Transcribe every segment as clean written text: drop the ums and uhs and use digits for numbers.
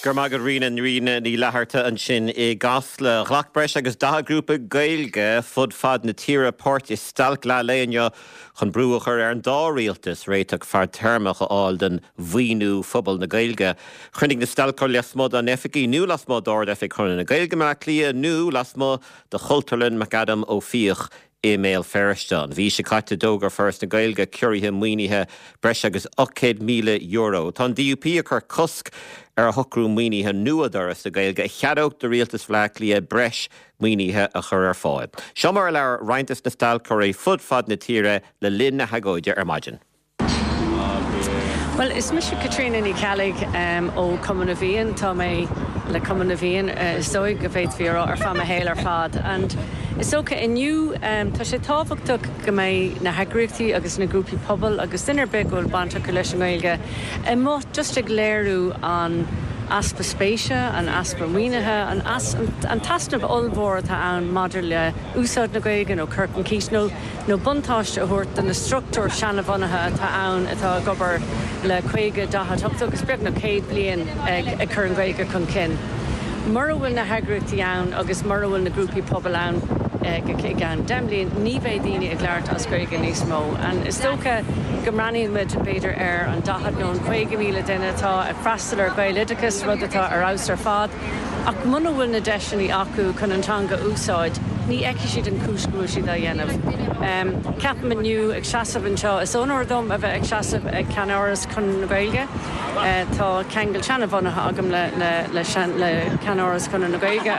Go raibh maith agat Ríona, Ríona Ní Fhlatharta ansin i gCasla. Ghlac breis agus 40 grúpa Gaeilge fud fad na tíre páirt i stailc leath lae inniu chun brú a chur ar an dá rialtas réiteach fadtéarmach a fháil don mhaoiniú phobal na Gaeilge. Chruinnigh na stailceoirí lasmuigh dá n-oifigí nó lasmuigh d'Ard-Oifig Chonradh na Gaeilge i mBaile Átha Cliath nó lasmuigh de Chultúrlann McAdam Ó Fiaich i mBéal Feirste. An mhí seo caite d'fhógair Foras na Gaeilge ciorruithe maoinithe breis agus €800,000. Tá an DUP ag cur cosc ar shocrú maoinithe nua d'Fhoras na Gaeilge a cheadódh do Rialtas Bhaile Átha Cliath breis maoinithe a chur ar fáil. Seo mar a labhair roinnt des na stailceoirí fud fad na tíre le linn na hagóide ar maidin. Bhuel, is mise Caitríona Ní Cheallaigh ó Chumann na bhFiann. Tá mé le Cumann na bhFiann, is dóigh go bhféadfaí a rá, ar feadh mo shaoil ar fad. And is dócha inniu, tá sé tábhachtach go mbeidh na heagraíochtaí agus na grúpaí pobail agus duine ar bith go bhfuil baint acu leis an nGaeilge amuigh just ag léiriú an easpa spéise, an easpa maoinithe, an an t-easnamh ollmhór atá ann maidir le úsáid na Gaeilge nó cur chun cinn nó nó buntáiste a thabhairt do na struchtúir seanabhunaithe atá ann atá ag obair le 50, 40, 80 agus beagnach 100 bliain ag cur an Ghaeilge chun cinn. Mura bhfuil na heagraíochtaí ann agus mura bhfuil na grúpaí pobail ann i gceann 10 mbliain, ní bheidh daoine ag labhairt as Gaeilge níos mó. And is dócha go mbreathnaíonn muid b'fhéidir ar an 40 nó an 50,000 duine atá ag freastal ar Ghaeloideachas, rud atá ar fheabhas ar fad. Ach muna bhfuil na deiseanna acu chun an teanga a úsáid, ní fheicfidh siad an chúis go bhfuil siad á dhéanamh. Ceapaim inniu, ag seasamh anseo, is onóir dom a bheith ag seasamh ag ceannáras Chonradh na Gaeilge. Tá ceangal seanabhunaithe agam le le ceannáras Chonradh na Gaeilge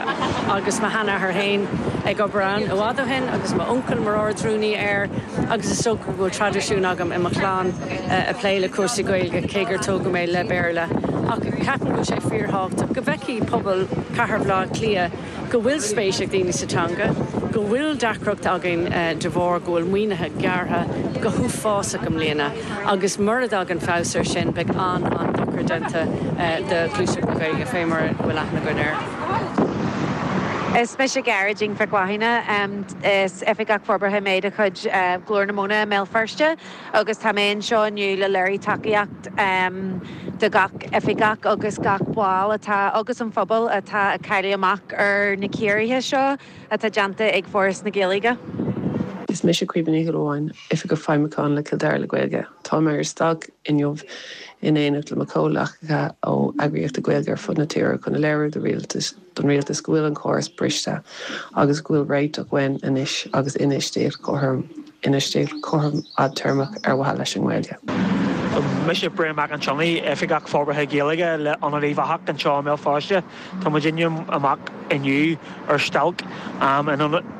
agus mo sheanathair féin ag obair ann i bhfad ó shin agus m'uncail mar Ard-Rúnaí air agus is dócha go bhfuil traidisiún agam i mo chlann ag plé le cúrsaí Gaeilge, cé gur tógadh mé le Béarla. Ach ceapaim go bhfuil sé fíorthábhachtach go bhfeicfidh pobal Chathair Bhaile Átha Cliath go bhfuil spéis ag daoine sa teanga, go bhfuil deacracht againn de bharr go bhfuil maoinithe gearrtha go huafásach i mbliana agus mura dtagann feabhas air sin beidh an-an-dochar déanta do ghluaiseacht na Gaeilge fé mar a bhfuil aithne againn air. Is mise Gearóidín Mhic Mhathúna. Is Oifigeach Forbartha mé de chuid Ghlór na Móna i mBéal Feirste. Agus tá mé anseo inniu le léiriú tacaíocht do gach oifigeach agus gach ball atá agus an phobal atá ag cailleadh amach ar na ciorruithe seo atá déanta ag Foras na Gaeilge. Is mise Caoimhe Ní Shúilleabháin, Oifigeach Feidhmiúcháin le Cill Dara le Gaeilge. Tá mé ar stailc inniu in éineacht le mo chomhghleacaithe ó eagraíochtaí Gaeilge ar fud na tíre chun a léiriú do rialtas don rialtas go bhfuil an córas briste agus go bhfuil réiteach uainn anois agus infheistíocht chothrom, infheistíocht chothrom fhadtéarmach ar mhaithe leis an nGaeilge. Mise Brian Mac an tSionnaigh, Oifigeach Forbartha Gaeilge le Ionad Uíbh Eachach anseo i mBéal Feirste. Tá muidinne amach inniu ar stailc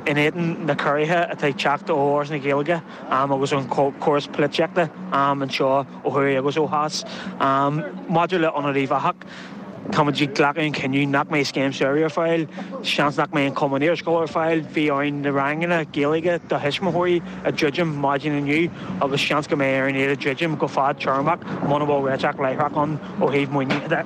in éadan na ciorruithe atá ag teacht ó Fhoras na Gaeilge agus ón chóras polaitíochta anseo ó thuaidh agus ó theas. Maidir le Ionad Uíbh Eachach, Tá muid ag glacadh an chinneadh nach mbeidh scéim samhraidh ar fáil, seans nach mbeidh an cumann iarscoile ar fáil, bhí orainn na ranganna Gaeilge do thuismitheoirí a dhruidim maidin inniu agus seans go mbeidh orainn iad a dhruidim go fadtéarmach muna bhfuil réiteach láithreach ann ó thaobh maoinithe de.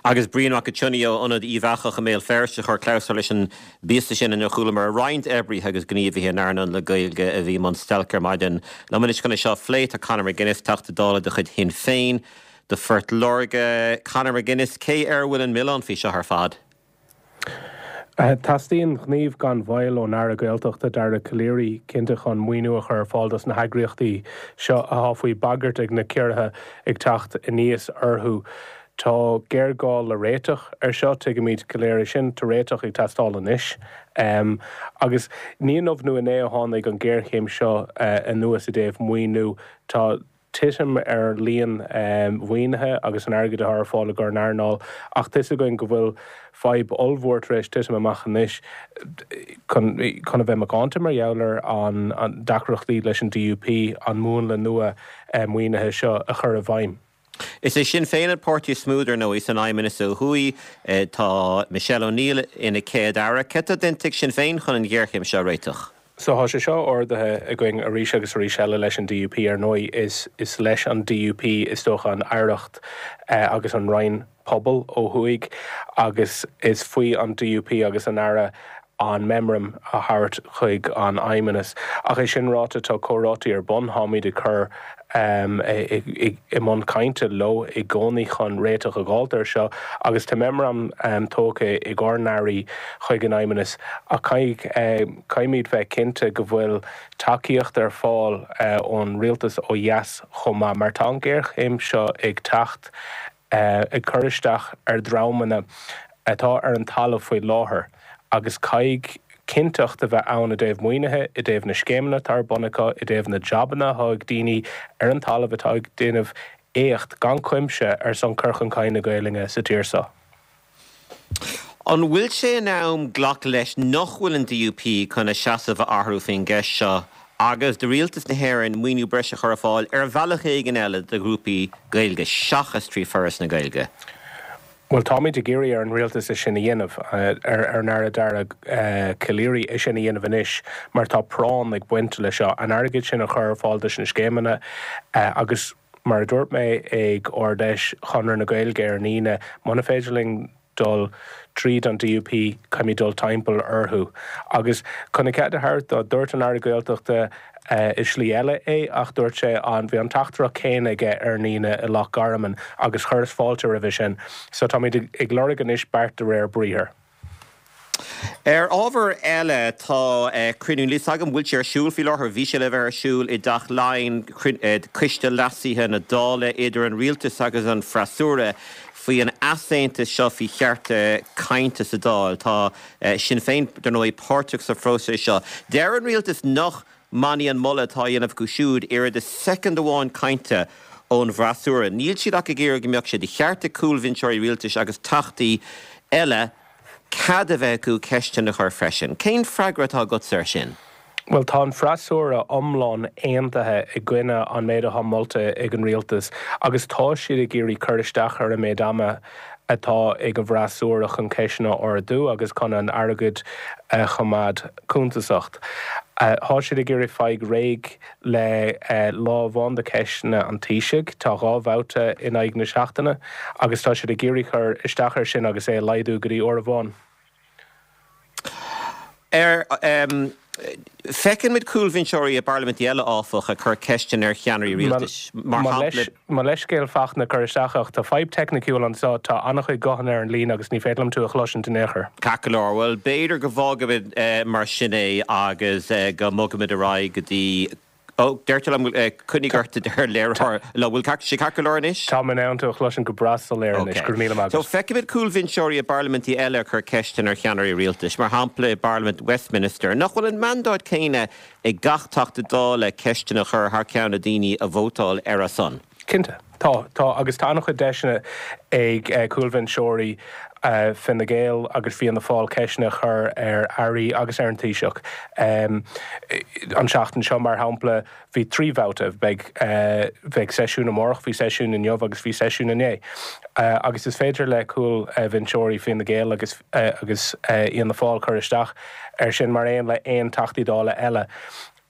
Agus Brian Mac an tSionnaigh ó Ionad Uíbh Eachach i mBéal Feirste a chuir clabhsúr leis an bpíosa sin inar chualamar roinnt oibrithe agus gníomhaithe in earnáil na Gaeilge a bhí i mbun stailce ar maidin. Liom anois chun é seo a phlé tá Conor McGuinness, Teachta Dála de chuid Shinn Féin. Do Phort Láirge, Conor McGuinness, cé air a bhfuil an milleán faoi seo ar fad? Teastaíonn gníomh gan mhoill ón Aire Gaeltachta Dara Calleary, cinnte, chun maoiniú a chur ar fáil dos na heagraíochtaí seo atá faoi bhagairt ag na ciorruithe ag teacht aníos orthu. Tá géarghá le réiteach ar seo, tuigimid go léir é sin. Tá réiteach ag teastáil anois. Agus ní inniu nó inné a tháinig an ghéarchéim seo anuas i dtaobh maoiniú. Tá. titim ar líon mhaoinithe agus an airgid atá ar fáil i gcomhair an earnáil ach tá 'fhios againn go bhfuil fadhb ollmhór tar éis titim amach anois chun chun a bheith macánta mar gheall ar an deacrachtaí leis an DUP an múnla nua maoinithe seo a chur i bhfeidhm. Is é Sinn Féin an páirtí is mó, dar ndóigh, san Fheidhmeannas ó thuaidh. Tá Michelle O'Neill ina Céad-Aire. Céard atá déanta ag Sinn Féin chun an ghéarchéim seo a réiteach? So tá sé seo ardaithe againn arís agus arís eile leis an DUP. Ar ndóigh, is is leis an DUP is dócha an aireacht agus an Roinn Pobal ó thuaidh agus is faoi an DUP agus an Aire. an meamram a thabhairt chuig an Fheidhmeannas. Ach é sin ráite, tá comhráití ar bun, táimid ag cur i mbun cainte leo i gcónaí chun réiteach a dh'fháilt air seo agus tá meamram tógtha ag ár n-airí chuig an Fheidhmeannas ach caithfimid bheith cinnte go bhfuil tacaíocht ar fáil ón rialtas ó dheas chomh maith mar tá an ghéarchéim seo ag teacht ag cur isteach ar dhreamanna atá ar an talamh faoi láthair agus caithfidh cinnteacht a bheith ann i dtaobh maoinithe, i dtaobh na scéimeanna atá ar bun acu, i dtaobh na jabanna atá ag daoine ar an talamh atá ag déanamh éacht gan cuimse ar son cur chun cinn na Gaelainne sa tír seo. An bhfuil sé in am glacadh leis nach bhfuil an DUP chun a seasamh a athrú faoin gceist seo agus do Rialtas na hÉireann maoiniú breise a chur ar fáil ar bhealach éigin eile do ghrúpaí Gaeilge seachas trí Foras na Gaeilge? Bhuel, táimid ag iarraidh ar an Rialtas é sin a dhéanamh, ar an Aire Dara Calleary é sin a dhéanamh anois mar tá práinn ag baint leis seo, an airgead sin a chur ar fáil dos na scéimeanna agus mar a dúirt mé ag Ard-Fheis Chonradh na Gaeilge ar an Aoine, muna féidir linn dul tríd an DUP, caithfimid dul timpeall orthu. Agus chun a chead a thabhairt dó, dúirt an Aire Gaeltachta i slí eile é ach dúirt sé an, bhí an teachtaireacht chéanna aige ar an Aoine i Loch Garman agus chuireas fáilte roimhe sin. So táimid ag lorg anois beart de réir briathair. Ar ábhar eile, tá cruinniú, níl a fhios agam an bhfuil sé ar siúl faoi láthair, bhí sé le bheith ar siúl i dTeach Laighean, Coiste Leasaithe na Dála idir an Rialtas agus an Freasúra faoi an easaontas seo faoi chearta cainte sa Dáil. Tá Sinn Féin, dar ndóigh, páirteach sa phróiseas seo. Deir an Rialtas nach mbainfidh an moladh atá á dhéanamh acu siúd oiread is soicind amháin cainte ón bhfreasúra. Níl siad ach ag iarraidh go mbeadh sé de cheart ag cúlbhinseoirí rialtais agus teachtaí eile cead a bheith acu ceisteanna a chur freisin. Cén freagra atá agatsa air sin? Bhuel, tá an freasúra iomlán aontaithe i gcoinne an méid atá molta ag an rialtas agus tá siad ag iarraidh cur isteach ar an méid ama atá ag an bhfreasúra chun ceisteanna a ardú agus chun an airgead a choimeád cuntasach. Tá siad ag iarraidh faigh réidh le lá amháin de cheisteanna an Taoisigh, tá 2 bhabhta in aghaidh na seachtaine, agus tá siad ag iarraidh cur isteach air sin agus é a laghdú go dtí uair amháin. Ar Feiceann muid cúlbhinseoirí i bparlaimintí eile, áfach, ag cur ceisteanna ar cheannairí rialtais, mar shampla. Mo leithscéal Fachtna cur isteach ach tá fadhb teicniciúil anseo, tá an-chuid guthanna ar an líne agus ní féidir liom tú a chloisint in aon chor. Ceart go leor, bhuel b'fhéidir go bhfágfaimid mar sin é agus go mbogfaimid ar aghaidh go dtí Ó, deirtear liom, coinnigh ort a deir léiritheoir liom. Bhfuil sé ceart go leor anois? Tá mé in ann tú a chloisint go breá soiléir anois, go raibh míle maith agat. So, feicimid cúlbhinseoirí i bparlaimintí eile ag cur ceisteanna ar cheannairí rialtais, mar shampla i bParlaimint Westminster. Nach bhfuil an mandáid céanna ag gach Teachta Dála ceisteanna a chur thar ceann na daoine a vótáil ar a son? Cinnte. Tá, tá, agus tá an-chuid deiseanna ag cúlbhinseoirí Fine Gael agus Fianna Fáil ceisteanna a chur ar airí agus ar an Taoiseach. An tseachtain seo, mar shampla, bhí 3 bhabhta, beidh, bheidh seisiún amárach, bhí seisiún inniu agus bhí seisiún inné. Agus is féidir le cúlbhinseoirí Fine Gael agus agus Fhianna Fáil cur isteach air sin mar aon le aon Teachtaí Dála eile.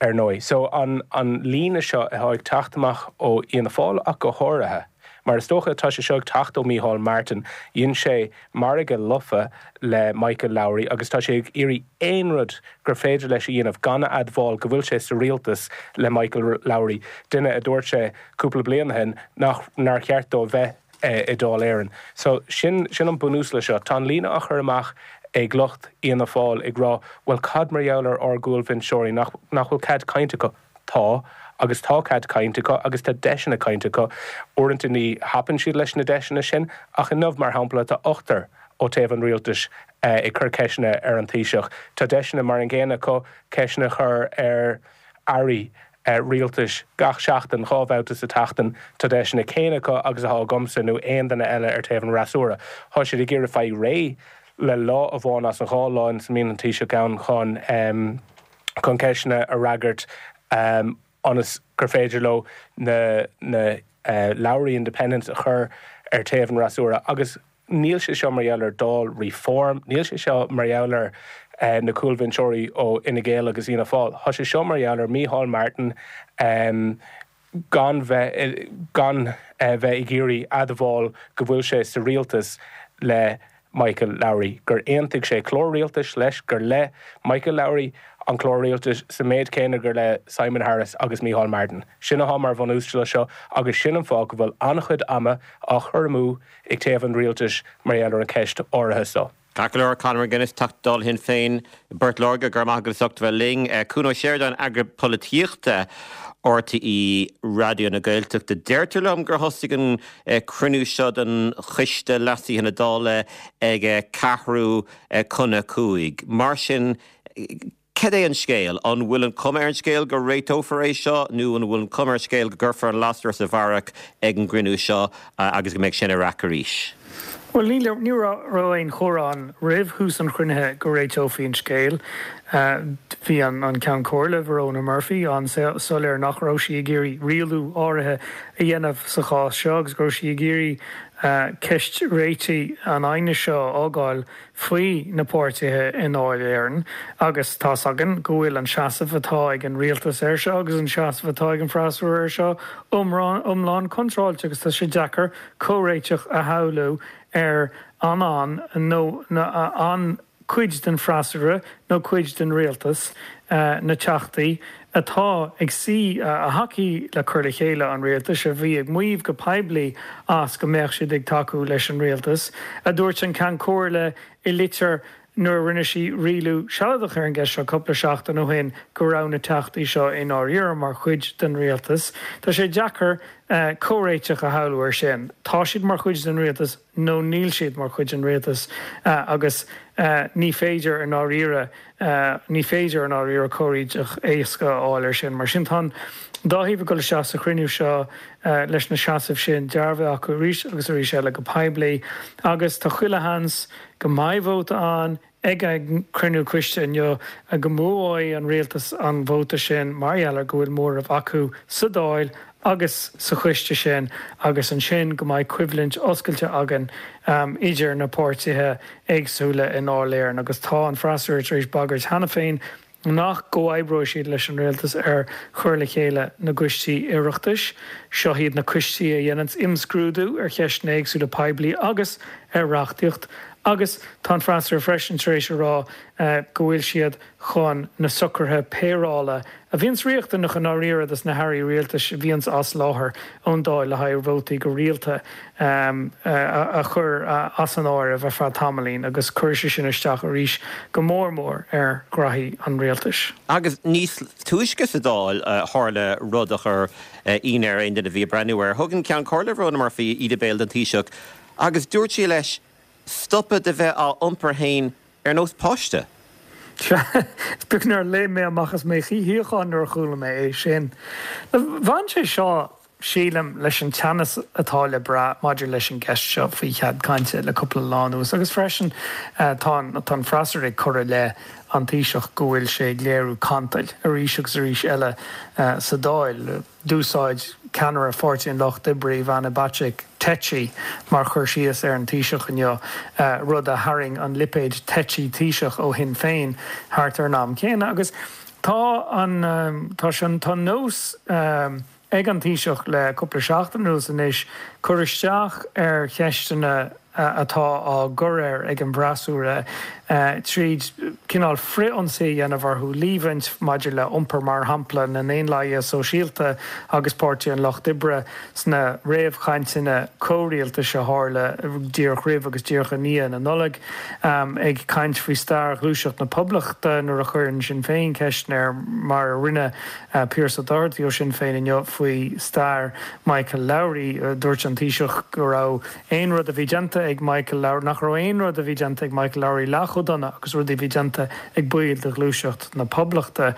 ar ndóigh. So, an an líne seo atá ag teacht amach ó Fhianna Fáil ach go háirithe, mar is dócha tá sé seo ag teacht ó Mícheál Martin, dhein sé margadh lofa le Michael Lowry agus tá sé ag iarraidh aon rud gur féidir leis a dhéanamh gan a admháil go bhfuil sé sa rialtas le Michael Lowry, duine a dúirt sé cúpla bliain ó shin nach nár cheart dó bheith i Dáil Éireann. So, sin, sin an bunús le seo. Tá an líne á chur amach ag lucht Fhianna Fáil ag rá, bhuel cad mar gheall ar ár gcúlbhinseoirí, nach, nach bhfuil cead cainte acu? Tá, agus tá cead cainte acu agus tá deiseanna cainte acu. Uaireanta ní thapann siad leis na deiseanna sin, ach inniu, mar shampla, tá ochtar ó taobh an rialtais ag cur ceisteanna ar an Taoiseach. Tá deiseanna mar an gcéanna acu ceisteanna a chur ar airí rialtais gach seachtain, 2 bhabhta sa tseachtain. Tá deiseanna céanna acu agus atá agamsa nó aon duine eile ar taobh an fhreasúra. Tá siad ag iarraidh faigh réidh le lá amháin as an dhá lá ina mbíonn an Taoiseach ann chun chun ceisteanna a fhreagairt ionas gur féidir leo na na Lowry Independents a chur ar taobh an fhreasúra agus Níl sé seo mar gheall ar Dáil Reform, níl sé seo mar gheall ar na cúlbhinseoirí ó Fhine Gael agus Fhianna Fáil. Tá sé seo mar gheall ar Mícheál Martin gan bheith gan bheith ag iarraidh admháil go bhfuil sé sa rialtas le. Michael Lowry, gur aontaigh sé clár rialtais leis, gur le Michael Lowry an clár rialtais sa méid céanna gur le Simon Harris agus Micheál Martin. Sin atá mar bhunús leis seo agus sin an fáth go bhfuil an-chuid ama á chur amú ag taobh an rialtais mar gheall ar an cheist áirithe seo. Ceart go leor, Conor McGuinness, Teachta Dála Shinn Féin i bPort Láirge, go raibh maith agat as ucht a bheith linn. Cuan Ó Seireadáin, Eagarthóir Polaitíochta RTÉ Raidió na Gaeltachta. Deirtear liom gur thosaigh an cruinniú seo den Choiste Leasaithe na Dála ag ceathrú chun a 5. Mar sin, Cad é an scéal? An bhfuil an cuma ar an scéal go réiteofar é seo nó an bhfuil an cuma ar an scéal go gcuirfear an lasair sa bharrach ag an gcruinniú seo agus go mbeidh sin ar raic arís? Bhuel, ní raibh aon chomhrá ann roimh thús an chruinnithe go réiteofaí an scéal. Bhí an Ceann Comhairle, Verona Murphy, an-soiléir nach raibh sí ag iarraidh rialú áirithe a dhéanamh sa chás seo agus go raibh sí ag iarraidh ceist réitigh an aighnis seo a fhágáil faoi na páirtithe i nDáil Éireann agus tá's againn go bhfuil an seasamh atá ag an rialtas air seo agus an seasamh atá ag an bhfreasúra air seo iomlán contráilte agus tá sé deacair comhréiteach a shamhlú ar an an nó an cuid den bhfreasúra nó cuid den rialtas, na teachtaí atá ag suí, a thacaigh le cur le chéile an rialtais, a bhí ag maíomh go poiblí as go mbeadh siad ag tacú leis an rialtas, a dúirt an Ceann Comhairle i litir nuair a rinne sí rialú sealadach ar an gceist seo cúpla seachtain ó shin go raibh na teachtaí seo i ndáiríre mar chuid den rialtas. Tá sé deacair comhréiteach a shamhlú air sin. Tá siad mar chuid den rialtas. nó níl siad mar chuid den rialtas agus ní féidir i ndáiríre, ní féidir i ndáiríre comhréiteach éasca a fháil air sin. Mar sin tá an dá thaobh ag dul isteach sa chruinniú seo leis na seasaimh sin dearbhaithe acu arís agus arís eile go poiblí agus tá chuile sheans go mbeidh vóta ann Ag an gcruinniú coiste inniu, go mbuafaidh an rialtas an vóta sin mar gheall ar go bhfuil móramh acu sa Dáil agus sa choiste sin agus ansin go mbeidh coimhlint oscailte againn idir na páirtithe éagsúla i nDáil Éireann agus tá an freasúra tar éis bagairt cheana féin nach gcomhoibreoidh siad leis an rialtas ar chur le chéile na gcoistí Oireachtais. Seo iad na coistí a dhéananns imscrúdú ar cheisteanna éagsúla poiblí agus ar reachtaíocht agus tá an freasúra freisin tar éis a rá go bhfuil siad chun na socruithe péireála a bhíonns riachtanach i ndáiríre dos na hairí rialtais a bhíonns as láthair ón Dáil le haghaidh vótaí go rialta a chur as an áireamh ar feadh tamaillín agus cuirfidh sé sin isteach arís go mór mór ar ghraithí an rialtais. Agus níos túisce sa Dáil tharla rud a chuir ionadh ar aon duine a bhí ag breathnú air. Thug an Ceann Comhairle Verona Murphy íde béil don Taoiseach agus dúirt sí leis stopadh de bheith á iompar féin ar nós páiste. Sea, is beag nár léim mé amach as mo shuíochán nuair a chuala mé é sin. Bhain sé seo, sílim, leis an teannas atá le brath maidir leis an gceist seo faoi chead cainte le cúpla lá anuas agus freisin tá an freasúra ag cur i leith an Taoiseach go bhfuil sé ag léiriú cantail arís agus arís eile sa Dáil. D'úsáid ceannaire Pháirtí an Lucht Oibre, Ivana Bacik, 'tetchy' mar chur síos ar an Taoiseach inniu, rud a tharraing an lipéad 'tetchy Taoiseach' ó Shinn Féin thart ar an am céanna. Agus tá an tá sé tá nós ag an Taoiseach le cúpla seachtain anuas anois cur isteach ar cheisteanna atá á gcur air ag an bhfreasúra tríd cineál frith-ionsaí a dhéanamh orthu, líomhaint maidir le iompar mar shampla na nDaonlathaithe Sóisialta agus Páirtí an Lucht Oibre sna réamhchainteanna comhrialtais a tharla díreach roimh agus díreach i ndiaidh na Nollag, ag caint faoi stair Ghluaiseacht na Poblachta nuair a chuireann Sinn Féin ceisteanna air mar a rinne Pearse Doherty ó Shinn Féin inniu faoi stair Michael Lowry. Dúirt an Taoiseach go raibh aon rud a bhí déanta ag Michael Lowry, nach raibh aon rud a bhí déanta ag Michael Lowry leath chomh dona agus rudaí a bhí déanta ag baill de Ghluaiseacht na Poblachta.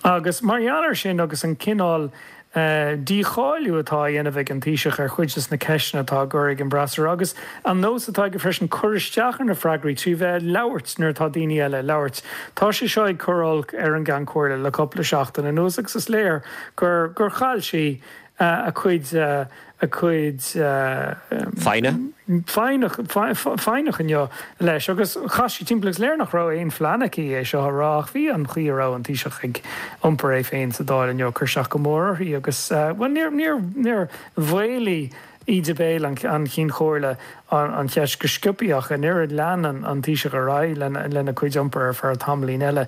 Agus mar gheall air sin agus an cineál dícháiliú atá á dhéanamh ag an Taoiseach ar chuid de na ceisteanna atá á gcur ag an bhfreasúra agus an nós atá aige freisin cur isteach ar na freagraí trí bheith ag labhairt nuair atá daoine eile ag labhairt, tá sé seo ag cur olc ar an gCeann Comhairle le cúpla seachtain anuas agus is léir gur gur chaill sí a cuid a cuid foighne. foighne inniu leis agus chas sí timpeall agus léir nach raibh aon phlean aici é seo a rá ach bhí an chaoi a raibh an Taoiseach ag iompar é féin sa Dáil inniu ag cur isteach go mór uirthi agus, bhuel, níor, níor, níor mhaolaigh. Íde béil an Chinn Chomhairle an cheist go sciobtha ach an oiread lean an Taoiseach ar aghaidh lena chuid iompair ar feadh tamaillín eile.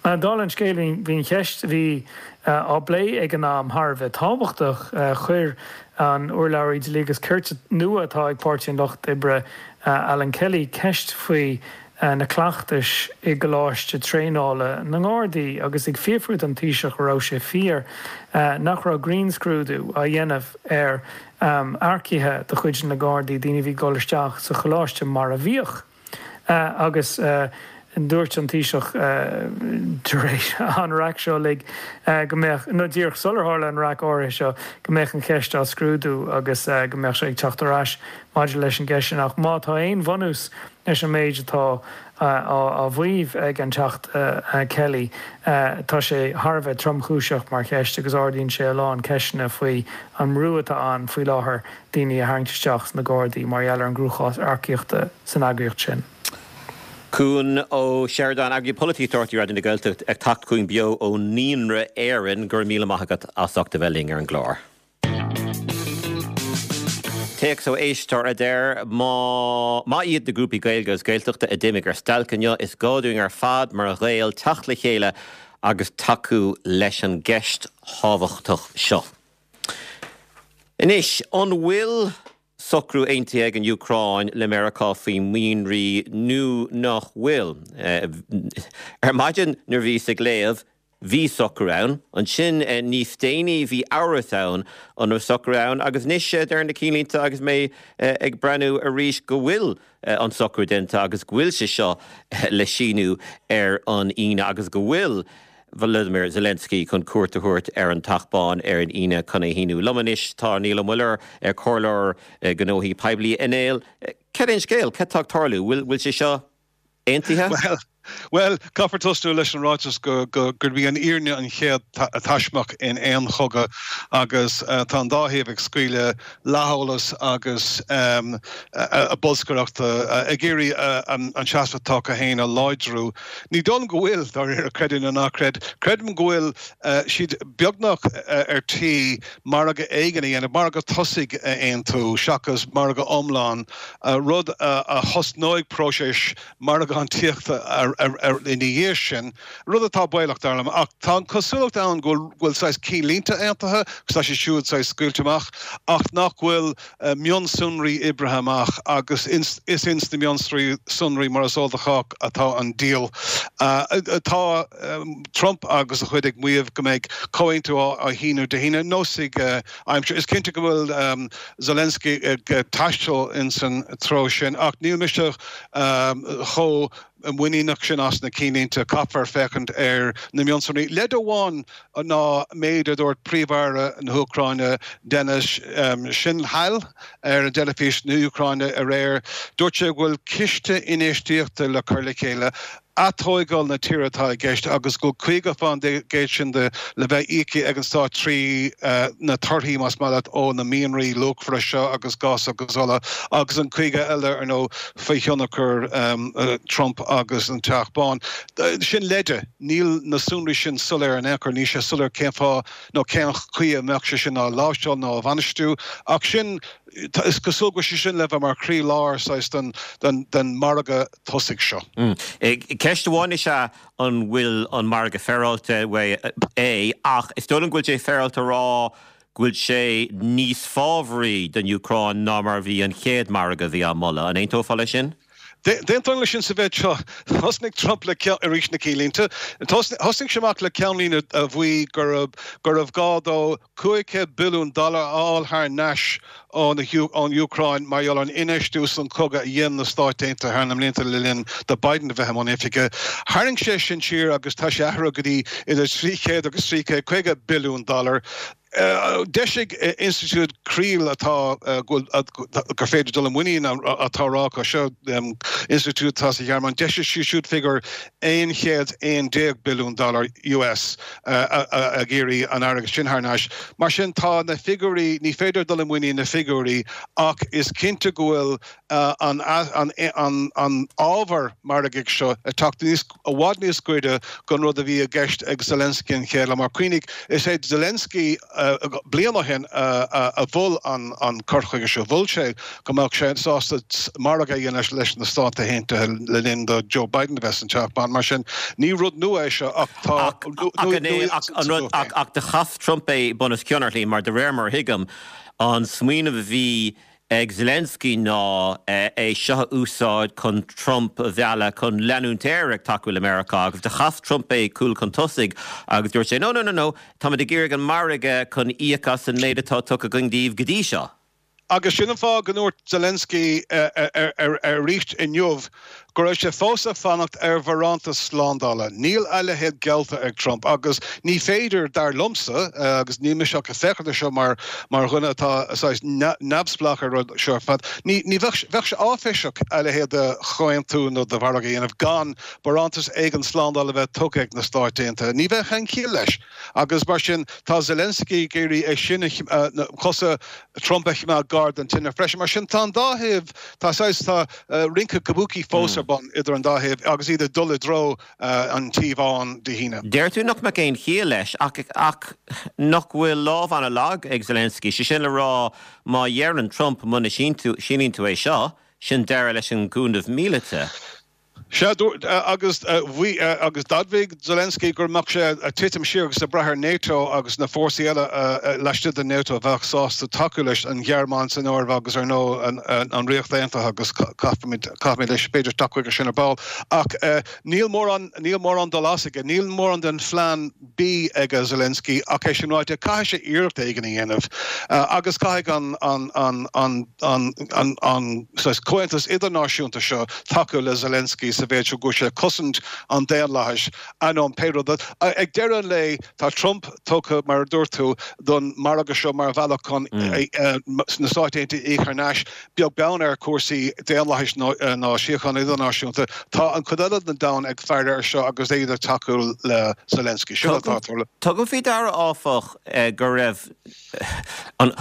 Dála an scéil bhí an cheist a bhí á bplé ag an am thar a bheith tábhachtach. Chuir an urlabhraí dlí agus cirt nua atá ag Páirtí an Lucht Oibre, Alan Kelly, ceist faoi na cleachtais i gColáiste Traenála na nGardaí agus ag fiafrú den Taoiseach an raibh sé fíor nach raibh grinnscrúdú á dhéanamh ar earcaithe de chuid na nGardaí, daoine a bhí ag dul isteach sa choláiste mar a bhíodh. Agus dúirt an Taoiseach tar éis an raic seo uilig go mbeadh, nó díreach sular tharla an raic áirithe seo, go mbeadh an cheist á scrúdú agus go mbeadh sé ag teacht ar ais maidir leis an gceist sin. Ach má tá aon bhunús leis an méid atá á mhaíomh ag an Teachta Kelly, tá sé thar a bheith tromchúiseach mar cheist agus ardaíonn sé a lán ceisteanna faoi an mbrú atá ann faoi láthair daoine a tharraingt isteach sna Gardaí mar gheall ar an gcruachás earcaíochta san eagraíocht sin. Cuan Ó Seireadáin, Eagraí Polaitíochta Raidió na Gaeltachta ag teacht chugainn beo ó Naíonra Éireann. Go raibh míle maith agat as ucht a bheith linn ar an gclár. Téacs ó éisteoir a deir, Má maith iad na grúpaí Gaeilge agus Gaeltachta a d'imigh ar stailc inniu, is gá dúinn ar fad mar Ghaeil teacht le chéile agus tacú leis an gceist thábhachtach seo. Anois, an bhfuil socrú aontaithe ag an Úcráin le Meiriceá faoi mhianraí nó nach bhfuil? Ar maidin nuair a bhíos ag léamh, Bhí socrú ann. Ansin níos déanaí bhí amhras ann an raibh socrú ann agus anois deir na cinnlínte agus mé ag breathnú arís go bhfuil an socrú déanta agus go bhfuil sé seo le síniú ar an Aoine agus go bhfuil Volodymyr Zelensky chun cuairt a thabhairt ar an Teach Bán ar an Aoine chun é shíniú. Liom anois tá Niall Ó Muilleoir, Comhairleoir Gnóthaí Poiblí. A Néill, cad é an scéal? Cad tá ag tarlú? Bhfuil sé seo aontaithe? Bhuel, caithfear tosnú leis an ráiteas gurb í an fhírinne an chéad taismeach in aon chogadh agus tá an dá thaobh ag scaoileadh leatheolas agus bolscaireacht ag iarraidh an seasamh atá acu féin a láidriú. Ní dóigh liom go bhfuil, dáiríre, creid é nó ná creid. Creidim go bhfuil siad beagnach ar tí margadh éigin a dhéanamh, margadh tosaigh a aontú seachas margadh iomlán rud a thosnóidh próiseas margántaíochta ina dhiaidh sin, rud atá baolach, dar liom. Ach tá an chosúlacht ann go bhfuil saghas cinnlínte aontaithe, agus tá siad siúd saghas scaoilte amach, ach nach bhfuil mionsonraí oibrithe amach, agus is ins na mionsonraí, mar is eol do chách, atá an diabhal. Tá Trump agus a chuid ag maíomh go mbeidh comhaontú á shíniú Dé hAoine, neosfaidh aimsir. Is cinnte go bhfuil Zelensky ag taisteal ins an treo sin ach níl mise chomh muiníneach sin as na cinnlínte. Caithfear féachaint ar na mionsonraí. Leid amháin ná méid a dúirt Príomh-Aire na hÚcráine Denis Shmyhal ar an dteilifís na hÚcráine aréir. Dúirt sé go bhfuil ciste infheistíochta le cur le chéile Atógáil na tíre atá i gceist agus go bhfuil 50% sin de le bheith íoctha ag an stát trí na torthaí, más maith leat, ó na mianraí luachmhara seo agus gás agus ola agus an 50 eile, ar ndóigh, faoi thionchar Trump agus an Teach Bán. Sin leide. Níl na sonraí sin soiléir in aon chor. Níl sé soiléir cén fáth nó cén chaoi a mbeadh sé sin á láimhseáil nó á bhainistiú ach sin, is cosúil go bhfuil sé sin le bheith mar chroí-lár saghas den margadh tosaigh seo. Ceist amháin is ea an bhfuil an margadh féaráilte é ach is dóigh liom go bhfuil sé féaráilte a rá go bhfuil sé níos fábhraí don Úcráin ná mar a bhí an chéad margadh a bhí á moladh. An aontófá leis sin? D'aontóinn leis sin sa mhéid seo. Thosnaigh Trump le arís na cinnlínte. Thosnaigh sé amach le ceannlíne a mhaígh gurbh gá dó 500 billiún dollar a fháil thar n-ais ón Úcráin mar gheall ar an infheistiú san chogadh a dhein na Stáit Aontaithe thar na mblianta le linn do Biden a bheith i mbun oifige. Tharraing sé sin siar agus tá sé athraithe go dtí idir 300 agus 350 billiún dollar. D'eisigh Institiúid Creel atá gur féidir dul i muinín atá á rá acu seo, institiúid atá sa Ghearmáin, d'eisigh siad siúd figiúr 111 billiún dollar US. ag iarraidh an airgead sin thar n-ais. Mar sin, tá na figiúirí, ní féidir dul i muinín na figiúirí ach is cinnte go bhfuil an an ábhar margaidh seo ag teacht níos, i bhfad níos gaire don rud a bhí i gceist ag Zelensky an chéad lá. Mar cuimhnigh, is é Zelensky. bliain ó shin a mhol an cur chuige seo. Mhol sé go mbeadh sé sásta margadh a dhéanamh leis na Stáit Aontaithe le linn do Joe Biden a bheith san Teach Bán. Mar sin, ní rud nua é seo ach tá nuaíocht. Ach do chas Trump é bunoscionn ar shlí mar de réir mar a thuigim, an smaoineamh a bhí ag Zelensky ná é seo a úsáid chun Trump a mhealladh chun leanúint air ag tacú le Meiriceá agus do chas Trump é cúl chun tosaigh agus dúirt sé no, no, no, no, táimid ag iarraidh an margadh chun íoc as an méid atá tugtha againn daoibh go dtí seo. Agus sin an fáth go ndúirt Zelensky arís inniu go raibh sé fós ag fanacht ar bharántas slándála. Níl a leithéid geallta ag Trump agus ní féidir, dar liomsa, agus níl mise ach ag féachaint air seo mar dhuine atá saghas neamhspleách ar an rud seo ar fad, ní bheadh, bheadh sé áiféiseach a leithéid de chomhaontú nó de mhargadh a dhéanamh gan barántas éigin slándála a bheith tugtha ag na Stáit Aontaithe. Ní bheadh aon chiall leis. Agus mar sin, tá Zelensky ag iarraidh é sin a, cosa Trump a choimeád gar don tine freisin. Mar sin, tá an dá thaobh, tá saghas, tá rince kabuki fós ar bun idir an dá thaobh agus iad ag dul i dtreo an Tí Bháin Dé hAoine. Deir tú nach mbeadh aon chiall leis, ach, ach nach bhfuil lámh an-lag ag Zelensky, sé sin le rá, má dheireann Trump muna síníonn tú é seo, sin deireadh leis an gcúnamh míleata. Sea, dúirt, agus bhí, agus d'admhaigh Zelensky go mbeadh sé ag titim siar agus ag brath ar NATO agus na fórsaí eile laistigh de NATO a bheadh sásta tacú leis, an Ghearmáin san áireamh agus ar ndóigh an Ríocht Aontaithe agus caithfimid, caithfimid leis, b'fhéidir teacht chuige sin ar ball. Ach níl mórán, níl mórán dul as aige, níl mórán den phlean B ag Zelensky ach é sin ráite, caithfidh sé iarracht éigin a dhéanamh agus caithfidh an, an, an, an, an, an, an saghas comhaontas idirnáisiúnta seo tacú le Zelensky sa mhéid seo go bhfuil sé ag cosaint an daonlathais, ainneoin pé rud. Ag deireadh an lae, tá Trump tugtha, mar a dúirt tú, don margadh seo mar bhealach chun na Stáit Aontaithe a íoc thar n-ais, beag beann ar chúrsaí daonlathais ná síochána idirnáisiúnta. Tá an chuid eile den domhan ag faire air seo agus iad ag tacú le Zelensky. Sin atá ag tarlú. Tugaim faoi deara, áfach, go raibh an,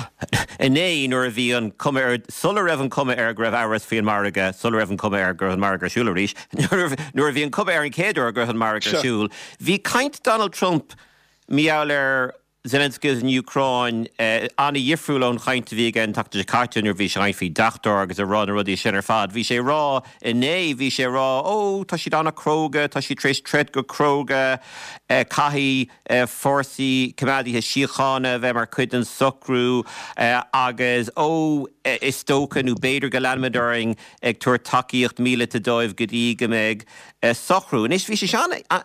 inné nuair a bhí an cuma air, sula raibh an cuma air go raibh amhras faoi an margadh, sula raibh an cuma air go raibh an margadh ar siúl arís, nuair a bhí an cuma air an chéad uair go raibh an margadh ar siúl, bhí caint Donald Trump mar gheall ar Zelensky agus an Úcráin an-dhifriúil ón chaint a bhí aige an tseachtain seo caite nuair a bhí sé ag caint faoi deachtóir agus ag rá na rudaí sin ar fad. Bhí sé ag rá inné, bhí sé ag rá, ó, tá siad an-chróga, tá siad tar éis troid go cróga, caithfidh fórsaí coimeádaithe síochána a bheith mar chuid den socrú agus, ó, is dócha nó b'fhéidir go leanfaimid orainn ag tabhairt tacaíocht míleata dóibh go dtí go mbeidh socrú. Anois, bhí sé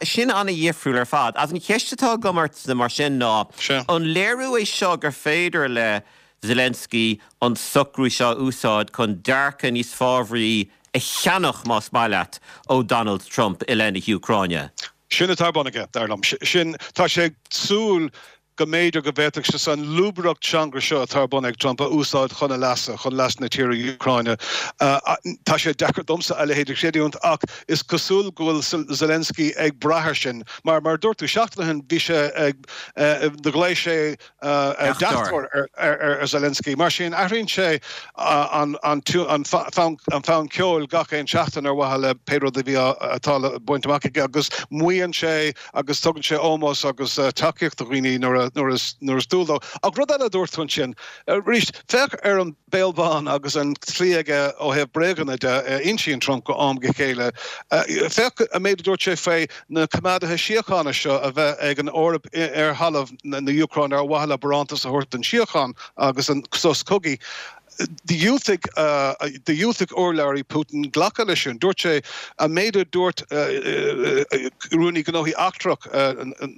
sin an-dhifriúil ar fad. Agus an cheist atá agam ortsa mar sin ná, an léiriú é seo gur féidir le Zelensky an socrú seo a úsáid chun dearcadh níos fábhraí a cheannach, más maith leat, ó Donald Trump i leith na hÚcráine? Sin atá ar bun aige, dar liom. Sin, tá sé ag súil go mb'fhéidir go bhféadfadh sé an lúbaireacht teanga seo atá ar bun ag Trump a úsáid chun a leasa, chun leas na tíre Úcráine. Tá sé deacair domsa a leithéid a chreidiúint ach is cosúil go bhfuil Zelensky ag brath air sin. Mar, mar a dúirt tú, seachtain ó shin bhí sé ag, ghlaoigh sé deachtóir ar Zelensky. Mar sin, athraíonn sé an fonn ceoil gach aon seachtain ar mhaithe le pé rud a bhí atá le baint amach aige agus maíonn sé agus tugann sé ómós agus tacaíocht do dhaoine nuair is dual dó. Ach rud eile a dúirt tú ansin, arís, féach ar an béal bán agus an tslí aige ó thaobh bréaganna de a insíonn Trump go am go chéile. Féach an méid a dúirt sé faoi na coimeádaithe síochána seo a bheith ag an Eoraip ar thalamh na hÚcráine ar mhaithe le barántas a thabhairt don síocháin agus an sos cogaidh. Dhiúltaigh dhiúltaigh urlabhraí Putin glacadh leis sin. Dúirt sé an méid a dúirt Rúnaí Gnóthaí Eachtrach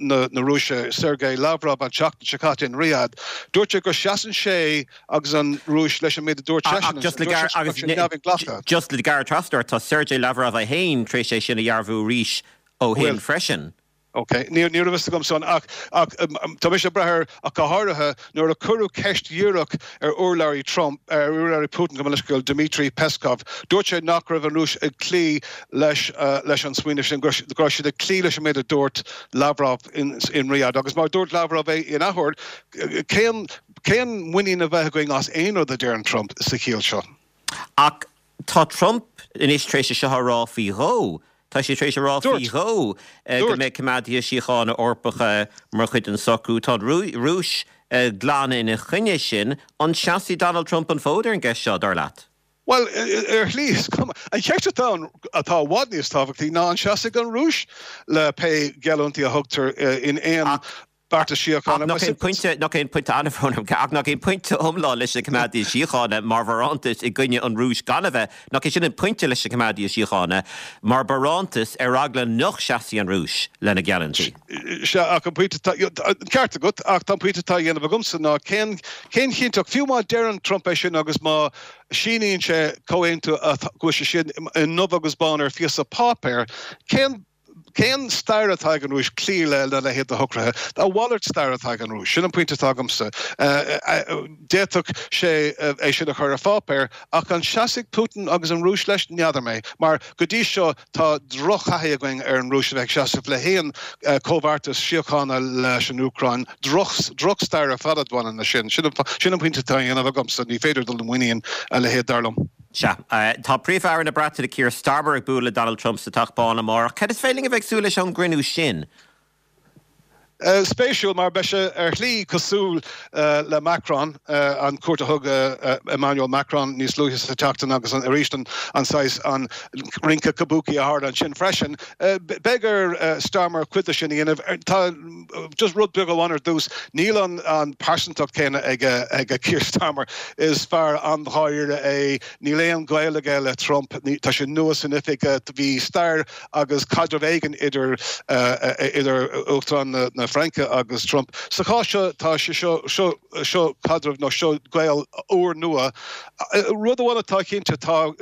na Rúise, Sergei Lavrov an tseachtain seo caite in Riyadh, dúirt sé go seasann sé agus an Rúis leis an méid a dúirt seisean ansin. Dúirt sé go raibh sé neamhinghlactha. Just le gearradh trasna ort, tá Sergei Lavrov é féin tar éis é sin a dhearbhú arís ó shin freisin. Ok, ní raibh fhios agam san ach ach tá mise ag brath air ach go háirithe nuair a cuireadh ceist dhíreach ar urlabhraí Trump, ar urlabhraí Putin gabh mo leithscéal, Dmitry Peskov. Dúirt sé nach raibh an Rúis ag cloí leis leis an smaoineamh sin, go raibh siad ag cloí leis an méid a dúirt Lavrov in in Riyadh. Agus mar a dúirt Lavrov é in athuair, cén cén muinín a bheith againn as aon rud a deireann Trump sa chiall seo? Ach tá Trump anois tar éis é seo a rá faoi dhó. Tá sé tar éis a rá faoi dhó go mbeidh coimeádaithe síochána Eorpacha mar chuid den socrú. Tá an Rúis. glan ina choinne sin. An seasfaidh Donald Trump an fód ar an gceist seo, dar leat? Bhuel, ar shlí, is cuma. An cheist atá ann, atá i bhfad níos tábhachtaí, ná an seasfaidh an Rúis le pé geallúintí a thugtar in aon beartas síochána. Ach nach é an pointe, nach é an pointe, an-bhrón orm, ach nach é an pointe iomlán leis na coimeádaithe síochána mar bharántas i gcoinne an Rúis gan a bheith, nach é sin an pointe leis na coimeádaithe síochána mar barántas ar eagla nach seasfaidh an Rúis lena geallúintí? Sea, ach an pointe atá, an ceart agat, ach tá an pointe atá á dhéanamh agamsa ná cén, cén chinnteacht, fiú má deireann Trump é sin agus má síníonn sé comhaontú go bhfuil sé sin i ndubh agus bán ar phíosa páipéir, cén, Cén stair atá ag an Rúis cloí lena leithéid de shocruithe? A mhalairt stair atá ag an Rúis. Sin an pointe atá agamsa. D'fhéadfadh sé é sin a chur ar pháipéar, ach an seasfaidh Putin agus an Rúis leis? N'fheadar mé. Mar go dtí seo tá drochthaithí againn ar an Rúis a bheith ag seasamh le haon chomhbheartas síochána leis an Úcráin. Drochstair ar fad a bhaineann leis sin. Sin an pointe atá á dhéanamh agamsa. Ní féidir dul i muinín a leithéid, dar liom. Sea. Tá Príomh-Aire na Breataine Keir Starmer ag bualadh le Donald Trump sa Teach Bán amárach. Cad is féidir linn a bheith ag súil leis ón gcruinniú sin? Spéisiúil, mar beidh sé ar shlí cosúil le Macron, an cuairt a thug Emmanuel Macron níos luaithe sa tseachtain agus arís an saghas, an rince kabuki a tharla ansin freisin. Beidh ar Starmer cuid de sin a dhéanamh. Tá just rud beag amháin ar dtús, níl an pearsantacht céanna ag Keir Starmer. Is fear an-dháiríre é, níl aon ghaol aige le Trump, tá sé nua san oifig, bhí stair agus caidreamh éigin idir idir Uachtarán na Fraince agus Trump. Sa chás seo, tá sé seo, seo, seo caidreamh nó seo gaol úrnua. Rud amháin atá cinnte, tá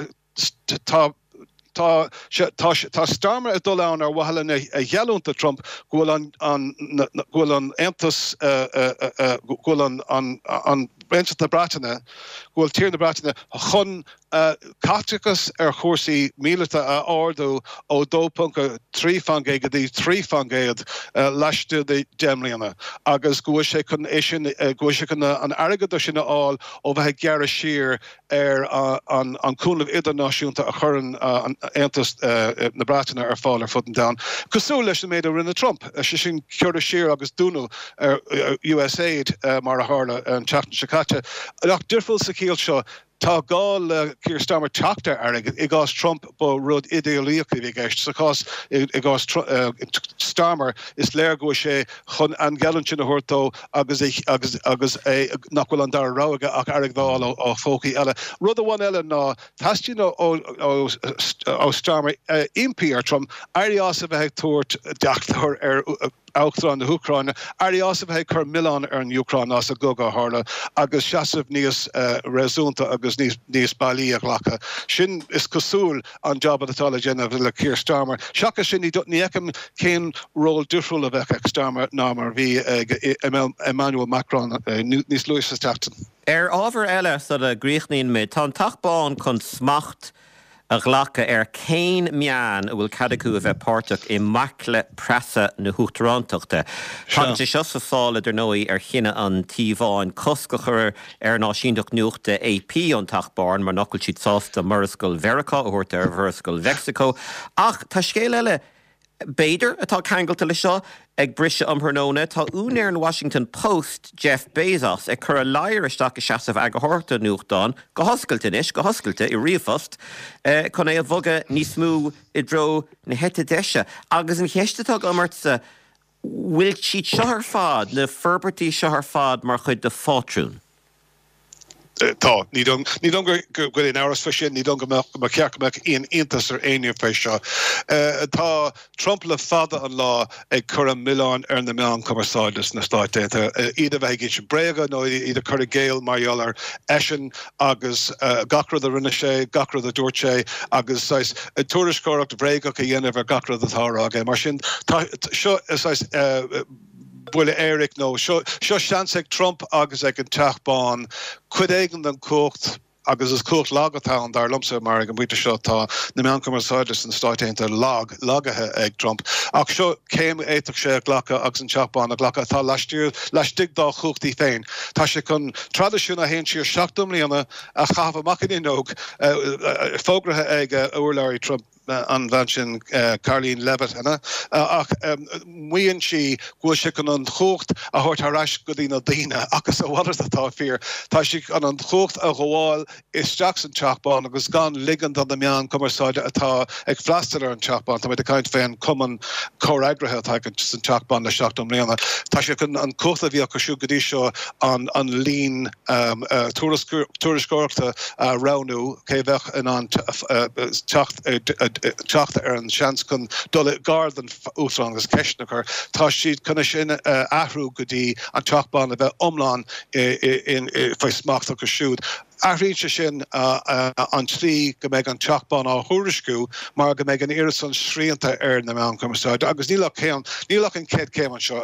Tá tá tá tá Starmer ag dul ann ar mhaithe lena gheallúint do Trump go bhfuil an an go bhfuil an Aontas go bhfuil an an an Aontas na Breataine go bhfuil tír na Breataine chun caiteachas ar chúrsaí míleata a ardú ó 2.3% go dtí 3% laistigh de 10 mbliana agus go bhfuil sé chun é sin go bhfuil sé chun an airgead sin a fháil ó bheith ag gearradh siar ar an cúnamh idirnáisiúnta a chuireann an Aontas na Breataine ar fáil ar fud an domhain, cosúil leis an méid a rinne Trump, sé sin gearradh siar agus dúnadh ar USAID mar a tharla an tseachtain seo caite. Ach difriúil sa chiall seo, tá gá le Keir Starmer teacht ar airgead. I gcás Trump ba rud idéalaíoch a bhí i gceist. Sa chás i gcás Starmer is léir go bhfuil sé chun an gheallúint sin a thabhairt dó agus agus agus é nach bhfuil an dara rogha aige ach airgead a fháil ó phócaí eile. Rud amháin eile ná teastaíonn ó Starmer impí ar Trump éirí as a bheith ag tabhairt deachtóir ar Uachtarán na hÚcráine, éirí as a bheith ag cur milleán ar an Úcráin as an gcogadh a tharla agus seasamh níos réasúnta agus níos bailí a ghlacadh. Sin, is cosúil, an jab atá le déanamh le Keir Starmer. Seachas sin, ní fheicim cén ról difriúil a bheadh ag Starmer ná mar a bhí ag Emmanuel Macron níos luaithe sa tseachtain. Ar ábhar eile sula gcríochnaíonn muid, tá an Teach Bán chun smacht a ghlacadh ar cén meáin a bhfuil cead acu a bheith páirteach i mbaicle preasa na huachtarántachta. Tagann sé seo sa sála, dar ndóigh, ar chinneadh an Tí Bháin cosc a chur ar an áisíneacht nuachta AP ón Teach Bán mar nach bhfuil siad sásta Murascaill Mheiriceá a thabhairt ar Mhurascaill Mheicsiceo. Ach tá scéal eile, b'fhéidir, atá ceangailte leis seo, ag briseadh um thráthnóna. Tá úinéir an Washington Post, Jeff Bezos, ag cur a ladhar isteach i seasamh eagarthóireachta an nuachtáin, go hoscailte anois, go hoscailte, i ríomhphost, chun é a bhogadh níos mó i dtreo na heite deise. Agus an cheist atá agam ortsa, bhfuil siad seo ar fad, na forbairtí seo ar fad mar chuid de phátrún? Tá. Ní dóigh liom go bhfuil aon amhras faoi sin. Ní dóigh liom go mbeadh, go mba cheart go mbeadh aon iontas ar éinne faoi seo. Tá Trump le fada an lá ag cur an mhilleáin ar na meáin chumarsáide sna Stáit Aontaithe, iad a bheith ag insint bréaga nó iad a chur i gcéill mar gheall ar eisean agus gach rud a rinne sé, gach rud a dúirt sé agus saghas tuairisceoireacht bhréagach a dhéanamh ar gach rud atá á rá aige. Mar sin, tá seo saghas buille éiric nó seo seans ag Trump agus ag an Teach Bán cuid éigin den chumhacht, agus is cumhacht lag atá ann dar liomsa mar ag an bpointe seo tá na meáin chumarsáide sna Stáit Aontaithe lag, lagaithe ag Trump. Ach seo céim a fhéadfadh sé a ghlacadh agus an Teach Bán a ghlacadh atá laistiar, laistigh dá chumhachtaí féin. Tá sé chun traidisiún a théann siar 70 mbliana a chaitheamh amach an fhuinneog, fógraithe ag urlabhraí Trump. an bhean sin, Karoline Leavitt, an ea? Ach maíonn sí go bhfuil sé chun an chumhacht a thabhairt thar ais go dtí na daoine, ach is a mhalairt atá fíor. Tá sí chun an chumhacht a ghabháil isteach san Teach Bán agus gan ligean do na meáin cumarsáide atá ag freastal ar an Teach Bán, tá muid ag caint fén cumann comhfhreagraithe atá ag san Teach Bán le 70 mbliana, tá sé chun an cumhacht a bhí acu siúd go dtí seo an líon tuairisceoireachta a roghnú, cé a bheadh in ann teacht teacht ar an seans chun dul i gar don Uachtarán agus ceisteanna a chur, tá siad chun é sin a athrú go dtí an Teach Bán a bheith iomlán faoi smacht acu siúd. Athraíonn sé sin an tslí go mbeidh an Teach Bán á thuairisciú mar go mbeidh an oiread san srianta ar na meáin chumarsáide agus níl ach céim, níl ach an chéad chéim anseo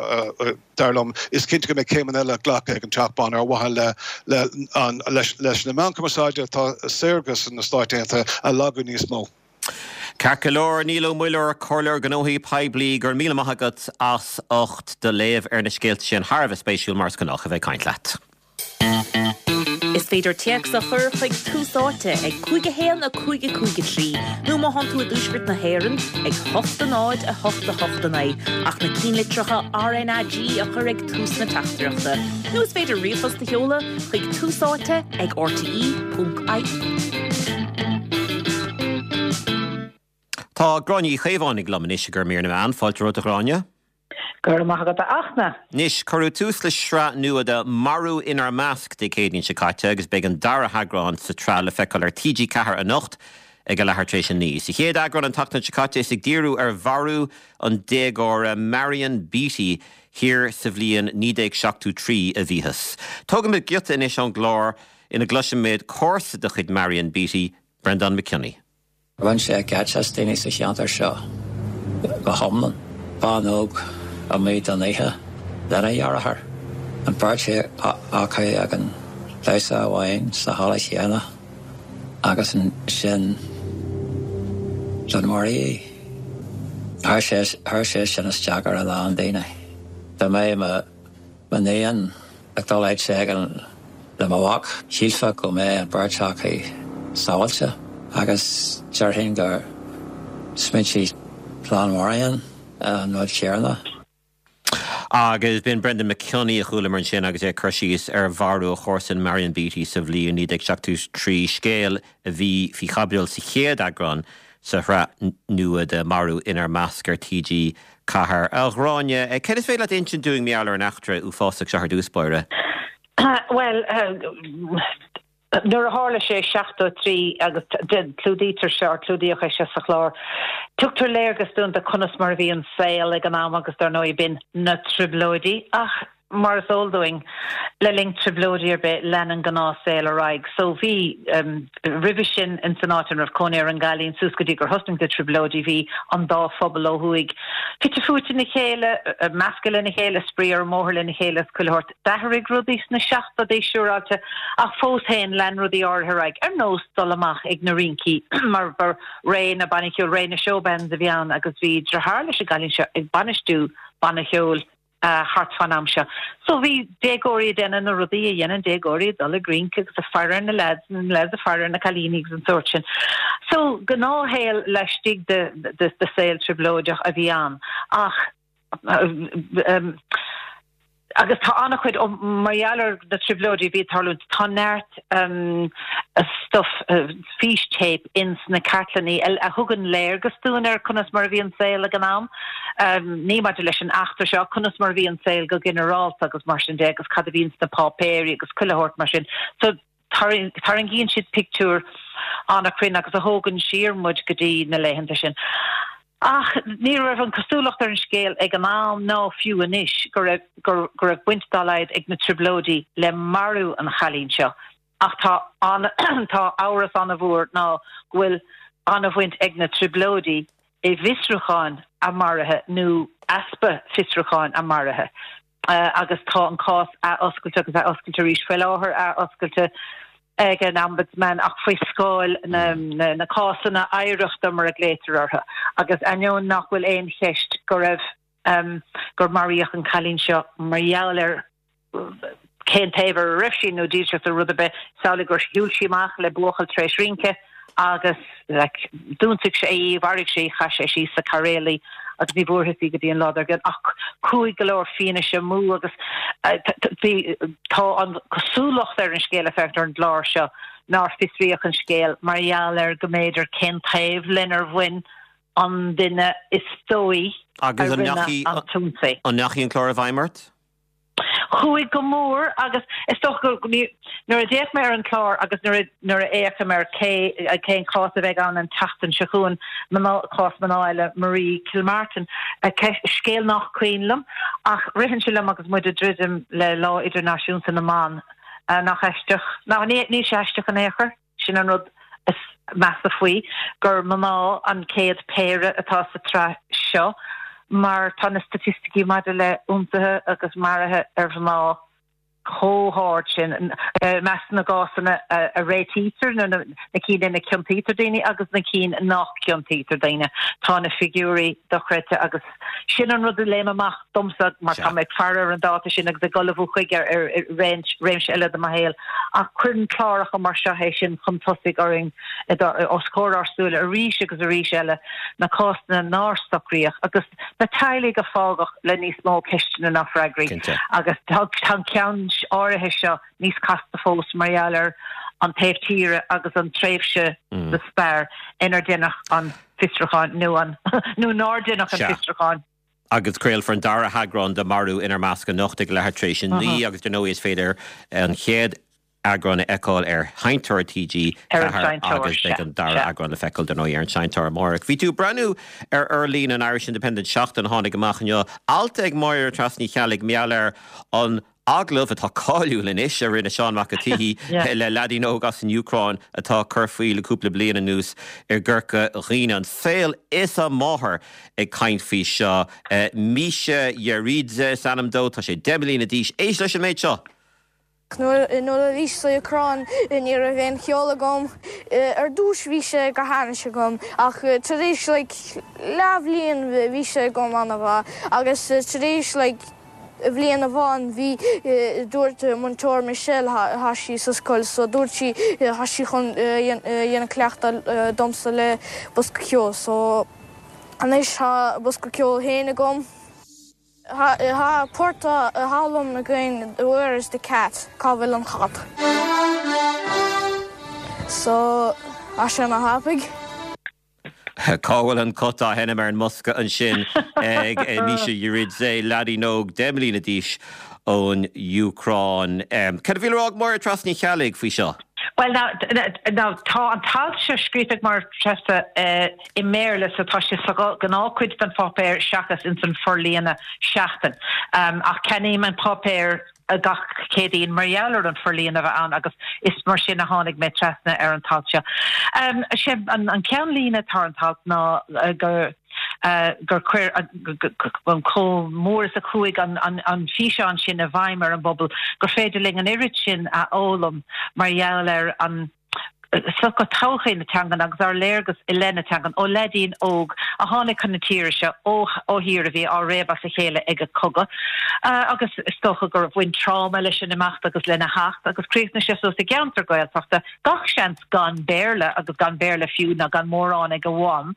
dar liom. Is cinnte go mbeidh céimeanna eile glactha ag an Teach Bán ar mhaithe le le an leis leis na meáin chumarsáide atá saorga sna Stáit Aontaithe a lagú níos mó. Ceart go leor, Niall Ó Muilleoir, Comhairleoir Gnóthaí Poiblí, go raibh míle maith agat as ucht do léamh ar na scéalta sin. Thar a bheith spéisiúil, mar is gnách, a bheith ag caint leat. Is féidir téacs a chur chuig Tús Áite ag 5 1 5 5 3 nó má thánn tú i dTuaisceart na hÉireann ag 8 0 8 8 9 ach na cinnlitreacha RnaG a chur ag tús na teachtaireachta. Nó is féidir ríomhphost a sheoladh chuig Tús Áite ag rte.ie. Tá Gráinne Uí Chaomhánaigh liom anois i gcomhair mír na meán. Fáilte romhat a Ghráinne. Go raibh maith agat a Fhachtna. Anois, cuireadh tús le sraith nua de 'Marú Inár Measc' Dé Céadaoin seo caite agus beidh an dara heagrán sa tsraith le feiceáil ar TG4 anocht ag a leathuair tar éis a 9. Sa chéad eagrán an tseachtain seo caite is ag díriú ar mharú an déagóra Marion Beatty thiar sa bhliain 1973 a bhíothas. Tógfaimid giota anois ón gclár ina gcloisimid comharsa de chuid Marion Beatty, Breandán McKinney. Bhain sé geit as daoine sa cheantar seo go hiomlán. Bean óg amuigh don oíche lena dheartháir. An bheirt acu ag an damhsa amháin sa halla chéanna agus ansin dúnmaraíodh í. Chuir sé sin isteach ar a lán daoine. Dá mbeadh mo M'iníon ag dul áit éigin le mo mhac, shílfeá go mbeadh an bheirt acu sábháilte agus déarfainn gur smaointigh clann Mharion an rud céanna. Agus b'in Brendan McKinney a chualamar ansin agus é ag cur síos ar mharú a chomharsan Marion Beatty sa bhliain 1973, scéal a bhí faoi chaibidil sa chéad eagrán sa shraith nua de Marú Inár Measc ar TG4. A Ghráinne, céard is féidir leat a insint dúinn mar gheall ar an eachtra uafásach seo ar dtús báire? Bhuel, nuair a tharla sé i 73, agus clúdaítear seo, or clúdaíodh é seo sa chlár, tugtar léargas dúinn de conas mar a bhí an saol ag an am agus dar ndóigh b'in na Trioblóidí ach Mar is eol dúinn, le linn trioblóidí ar bith, leanann gnáthshaol ar aghaidh. So bhí, roimhe sin, ins an áit ina raibh cónaí ar an gcailín, suas go dtí gur thosnaigh na trioblóidí, bhí an dá phobal ó thuaidh fite fuaite ina chéile, measctha lena chéile, spraoi ar an mbóthar lena chéile is chuile shórt. D'athraigh rudaí sna seachtóidí, siúráilte, ach fós féin, lean rudaí áirithe ar aghaidh, ar nós dul amach ag na rincí, mar ba ré na bannaí ceoil, ré na showbands a bhí ann agus bhí deartháir leis an gcailín seo ag bainistiú banna cheoil. thart fán am seo. So bhí déagóirí ag déanamh na rudaí a dhéanann déagóirí, ag dul ag rince agus ag faire ar na leaids, na leaids ag faire ar na cailíní agus an sórt sin. So gnáthshaol laistigh de de saol trioblóideach a bhí ann. Ach agus tá an-chuid, mar gheall ar na trioblóidí a bhí ag tarlúint, tá neart stuff, fístéip ins na cartlannaí a thugann léargas dúinn ar conas mar a bhí an saol ag an am, ní maidir leis an eachtra seo, conas mar a bhí an saol go ginearálta agus mar sin de agus cad a bhí ins na páipéirí agus chuile shórt mar sin. So tarraingíonn siad pictiúr an-chruinn agus a thógann siar muid go dtí na laethanta sin. Ach ní raibh an cosúlacht ar an scéal ag an am ná fiú anois go raibh go raibh baint dá laghad ag na trioblóidí le marú an chailín seo. Ach tá tá amhras an-mhór ná go bhfuil an-bhaint ag na trioblóidí i bhfiosrúcháin a maraithe nó easpa fiosrúcháin a maraithe. Agus tá an cás athoscailte agus athoscailte arís faoi láthair, athoscailte ag an Ombudsman ach faoi scáil na na cásanna oidhreachta mar a ghlaotar orthu. Agus ainneoin nach bhfuil aon cheist go raibh gur maraíodh an cailín seo mar gheall ar cén taobh ar a raibh sí nó dílseacht nó rud ar bith, is amhlaidh gur shiúil sí amach le buachaill tar éis rince. Agus like d'ionsaigh sé í, mharaigh sé í, chaith sé síos sa cairéal í agus ní bhfuarthas í go dtí an lá dár gcionn. Ach chuaigh go leor fianaise amú agus bhí, tá an chosúlacht ar an scéal ag féachaint ar an gclár seo nár fiosraíodh an scéal mar gheall ar go mb'fhéidir cén taobh lenar bhain an duine is dóigh a Agus an rinne ndeachaigh an t-ionsaí. an ndeachaigh an clár i bhfeidhm ort? Chuaigh go mór agus is dócha go nuair a d'fhéach mé ar an chlár agus nuair a nuair a fhéachaim ar cé cén cás a bheidh ann an tseachtain seo chugainn, mná cás mná eile Marie Kilmartin, scéal nach cuimhin liom ach ritheann sé liom agus muid ag druidim le Lá Idirnáisiúnta na mBan, nach aisteach, ná níl sé aisteach in aon chor. Sin an rud is measa faoi, gur mná an chéad péire atá sa tsraith seo, mar tá na staitisticí maidir le ionsaithe agus maruithe ar mhná chomh hard sin, i measc na gcásanna a réitítear, nó na cinn ina gciontaítear daoine agus na cinn nach gciontaítear daoine, tá na figiúirí dochreidte agus sin an rud a léim amach domsa mar tá mé ag faire ar an dáta sin agus ag ullmhú chuige ar réimse eile de mo shaol. Ach cuireann cláracha mar seo é sin chun tosaigh orainn os comhair ár súile arís agus arís eile, na cásanna nár socraíodh agus na teaghlaigh a fágadh le níos mó ceisteanna ná freagraí. Agus tá an ceann áirithe seo níos casta fós mar gheall ar an taobh tíre agus an tréimhse sa stair inar deineadh an fiosrúchán nó an nó nár deineadh an fiosrúchán. Agus craolfar an dara heagrán de Marú Inár Measc anocht ag leathuair tar éis a 9 agus dar ndóigh is féidir an chéad eagrán a fheiceáil ar Sheinnteoir TG4 agus beidh an dara eagrán le feiceáil dar ndóigh ar an Seinnteoir amárach. Bhí tú ag breathnú ar fhorlíonadh an Irish Independent Seachtain a tháinig amach inniu, alt ag Máire Treasa Ní Cheallaigh mar gheall ar an Agallamh atá cáiliúil anois a rinne Seán Mac an tSíthigh le leaidín óg as an Úcráin atá ag cur faoi le cúpla bliain anuas i gCorca Dhuibhne. An saol is a mháthair ag caint faoi seo. Misha Yeridze is ainm dó, tá sé 10 mbliana d'aois. Éist leis an méid seo! Nuair a bhís sa Úcráin ní raibh aon cheol agam. Ar dtús bhí sé go hainnis agam ach tar éis like leathbhliain bhí sé agam an-mhaith agus tar éis like bhliain amháin bhí, dúirt múinteoir Michelle, thá sí sa scoil so dúirt sí thá sí chun dhéanamh cleachtadh domsa le bosca ceoil so anois thá bosca ceoil féin agam. Thá port á fhoghlaim againn Where is the cat? Cá bhfuil an cat? So thá sé ana thapaidh. Cá bhfuil an cat á sheinm ar an mbosca ansin ag Misha Yeridze, leaidín óg 10 mbliana d'aois ón Úcráin. Cad a bhí le rá ag Máire Treasa Ní Cheallaigh faoi seo? Bhuel, now, tá an t-alt seo scríofa ag Máire Treasa i mBéarla so tá sé sa ghnáthchuid den pháipéar seachas ins an forlíonadh Seachtain. Ach ceannaím an páipéar gach Céadaoin mar gheall ar an forlíonadh a bheith ann agus is mar sin a tháinig mé trasna ar an t-alt seo. Sé an ceannlíne atá ar an t-alt ná gur gur chuir an chomh mór is a chuaigh an físeán sin i bhfeidhm ar an bpobal gur féidir linn an oiread sin a fhoghlaim mar gheall ar an sochaí todhchaí na teangan agus ár léargas i leith na teangan ó leaidín óg a tháinig chun na tíre seo ó ó thír a bhí á réabadh as a chéile ag an cogadh agus is dócha gur bhain tráma leis an imeacht agus lena theacht agus chríochnaigh sé suas i gceantar Gaeltachta, gach seans gan Béarla agus gan Béarla fiú ná gan mórán ag a mham,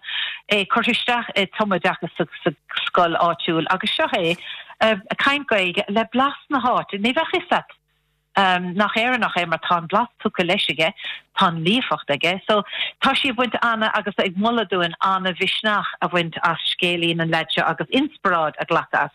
é curtha isteach i tumoideachas sa sa scoil áitiúil agus seo é ag caint Gaeilge le blas na háite. Ní bheadh fhios a't. nach Éireannach é mar tá an blas tugtha leis aige, tá an líofacht aige. So, tá sí ag baint ana agus ag moladh dúinn ana-mhisneach a bhaint as scéilín an leaid seo agus inspioráid a ghlacadh as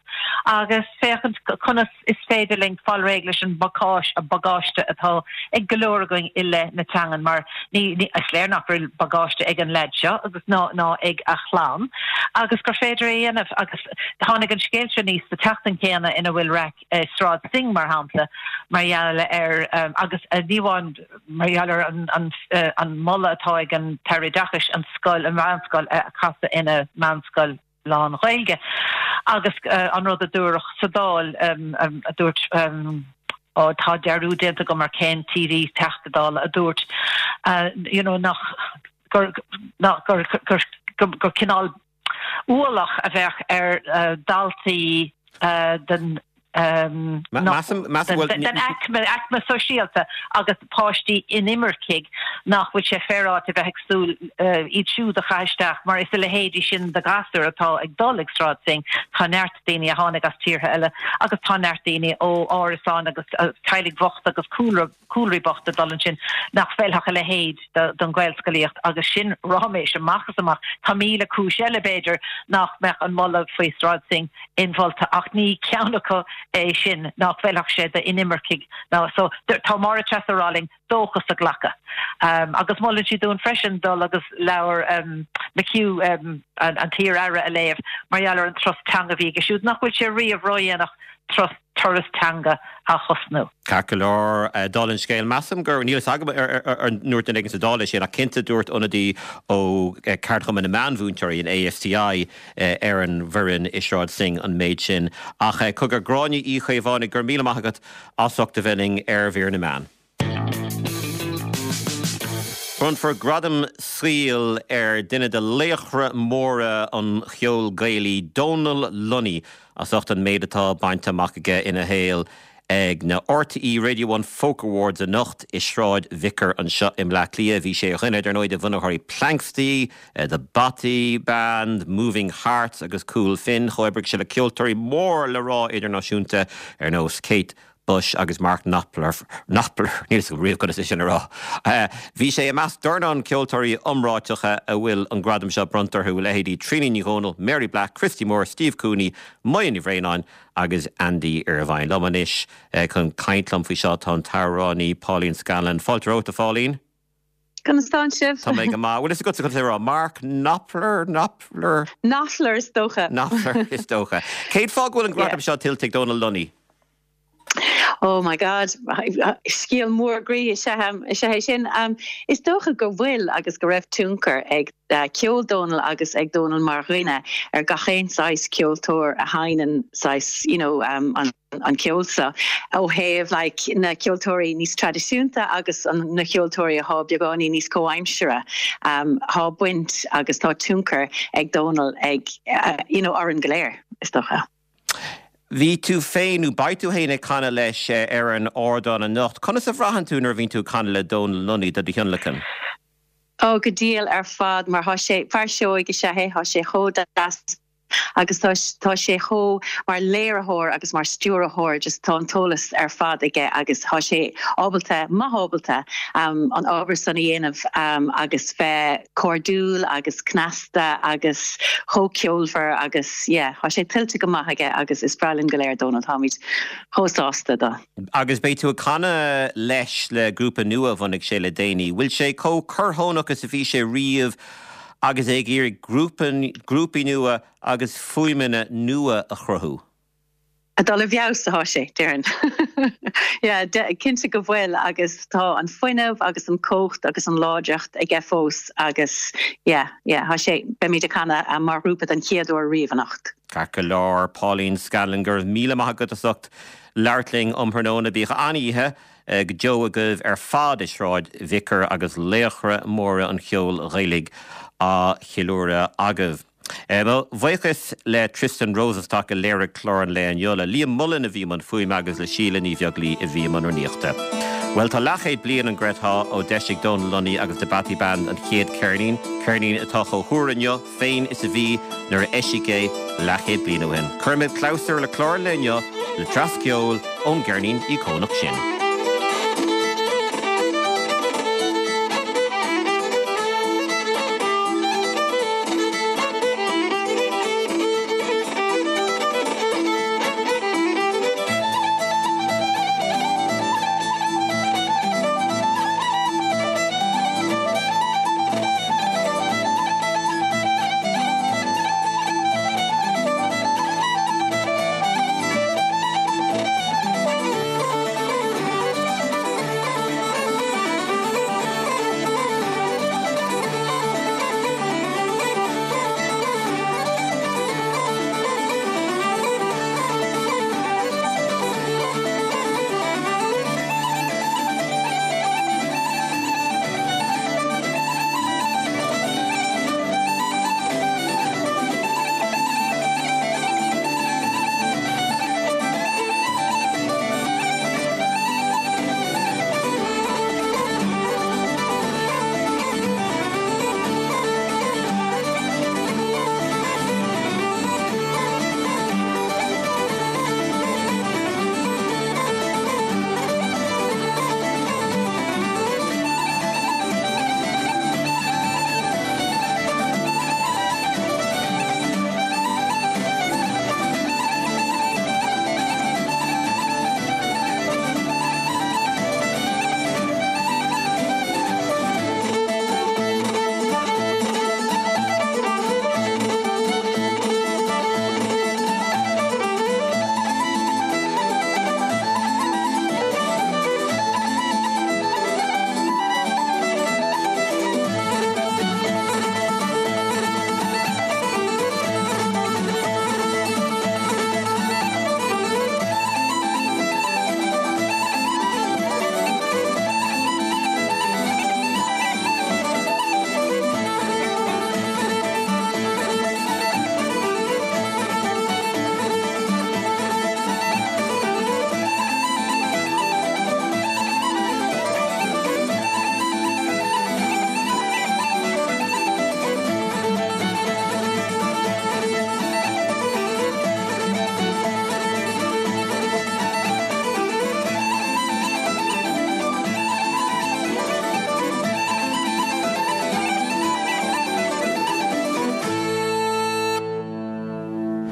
agus féachaint conas is féidir linn fáil réidh leis an bagáiste atá ag go leor againn i leith na teangan mar ní, ní, is léir nach bhfuil bagáiste ag an leaid seo agus ná, ná ag a chlann agus gur féidir é a dhéanamh agus tháinig an scéal seo aníos sa tseachtain chéanna ina bhfuil raic i Sráid Synge, mar shampla, mar gheall ar, agus ní amháin mar gheall ar an moladh atá ag an tAire Oideachais an scoil, an mheánscoil a chasadh ina meánscoil lán-Ghaeilge, agus an rud a dúradh sa Dáil, a dúirt, ó tá dearúd déanta agam ar cén TD, Teachta Dála, a dúirt, you know, nach, gur, gur, gur, gur cineál ualach a bheadh ar dhaltaí den. Den aicme, aicme sóisialta agus páistí inimircigh nach bhfuil sé féaráilte a bheith ag súil iad siúd a chaitheamh isteach mar is a leithéidí sin de ghasúir atá ag dul ag Sráid Synge. Tá neart daoine a tháinig as tíortha eile agus tá neart daoine ó árasáin agus teaghlaigh bhochta agus cúlra cúlraí bochta ag dul ansin nach bhfeilfeadh a leithéid don Ghaelscolaíocht agus sin ráiméis amach is amach. Tá 1000 cúis eile, b'fhéidir, nach mbeadh an moladh faoi Sráid Synge inmholta ach ní ceann acu é sin nach bhfeilfeadh sé d'inimircigh ná so tá Máire Treasa ag rá linn dóchas a ghlacadh. Agus molann sí dúinn freisin dul agus leabhar McHugh, an t-iar-aire, a léamh mar gheall ar an turas teanga a bhí aige siúd nach bhfuil sé riamh ródhéanach turas turas teanga a thosnú. Ceart go leor, dála an scéil, measaim gur, níl fhios agam ar ndúirt duine éigin sa Dáil é sin, ach cinnte dúirt ionadaí ó Ceardchumann na Meánmhúinteoirí, an ASTI, ar an bhfoireann i Sráid Synge an méid sin. Ach cogar, Gráinne Uí Chaomhánaigh, go raibh míle maith agat as ucht a bheith linn ar Mhír na Meán. Bronnfar gradam saoil ar duine de laochra móra an cheoil Ghaelaigh, Dónal Lunny, as ucht an méid atá bainte amach aige ina shaol ag na RTÉ Radio One Folk Awards anocht i Sráid Vicar anseo i mBleá Cliath. Bhí sé ar dhuine, dar ndóigh, de bhunaitheoirí Planxty, The Bothy Band, Moving Hearts agus Cool Finn. Chomhoibrigh sé le ceoltóirí mór le rá idirnáisiúnta ar nós Kate Bush agus Mark Knopfler, Knopfler, níl fhios agam riamh conas é sin a rá. Bhí sé i measc dornán ceoltóirí iomráiteacha a bhfuil an gradam seo bronnta orthu, leithéidí Tríona Ní Dhomhnaill, Mary Black, Christy Moore, Steve Cooney, Moya Ní Bhraonáin agus Andy Irvine. Liom anois chun caint liom faoi seo tá an t-amhránaí Pauline Scanlon. Fáilte romhat, a Pháilín. Conas tánn sibh? Tá mé go maith. Bhfuil fhios agatsa conas é a rá? Mark Knopfler? Knopfler? Knopfler is dócha. Knopfler is dócha. Cén fáth go bhfuil an gradam seo tuillte ag Dónal Lunny? Oh my God, scéal mór groí is ea é sin. Is dócha go bhfuil agus go raibh tionchar ag ceol Dónal agus ag Dónal mar dhuine ar gach aon saghas ceoltóir a sheinneann saghas, you know, an an ceol seo ó thaobh like na ceoltóirí níos traidisiúnta agus an na ceoltóirí athá beagáinín níos comhaimseartha thá baint agus tá tionchar ag Dónal ag you know orainn go léir is dócha. Bhí tú féin, nó beidh tú féin ag canadh leis ar an ardán anocht. Conas a bhraitheann tú nuair a bhíonn tú ag canadh le Dónal Lunny do do thionlacan? Ó, go diail ar fad mar thá sé, fear seoigh is ea é, thá sé chomh deas agus tá tá sé chomh mar léiritheoir agus mar stiúrthóir just tá an t-eolas ar fad aige agus tá sé ábalta, maith ábalta an obair san a dhéanamh agus bheith cairdiúil agus cneasta agus chomh ceolmhar agus yeah tá sé tuillte go maith aige agus is breá linn go léir Dónal, táimid chomh sásta dó. Agus beidh tú ag canadh leis le grúpa nua a bhunaigh sé le déanaí. Bhfuil sé chomh corrthónach is a bhí sé riamh agus é ag iarraidh grúpaí nua agus fuaimeanna nua a chruthú. Ag dul i bhfeabhas atá sé, déarfainn. Yeah, cinnte go bhfuil agus tá an fuinneamh agus an cumhacht agus an láidreacht aige fós agus yeah, yeah, tá sé, beimid ag canadh mar ghrúpa den chéad uair riamh anocht. Ceart go leor, Pauline Scanlon, go raibh míle maith agat as ucht labhairt linn um thráthnóna. Bíodh an-oíche go deo agaibh ar fad i Sráid Vicar agus laochra móra an cheoil Ghaelaigh á cheiliúradh agaibh. Mo bhuíochas le Tristan Rosenstock a léirigh clár an lae inniu, le Liam Mullen a bhí i mbun fuaime agus le Síle Ní Bheaglaoi a bhí i mbun rúnaíochta. Bhuel, tá leathchéad bliain an gcreidfeá ó d'eisigh Dónal Lunny agus The Bothy Band an chéad cheirnín, ceirnín atá chomh húr inniu féin is a bhí nuair a eisíodh é leathchéad bliain ó shin. Cuirfimid clabhsúr le clár an lae inniu le dreas ceoil ón gceirnín íocónach sin.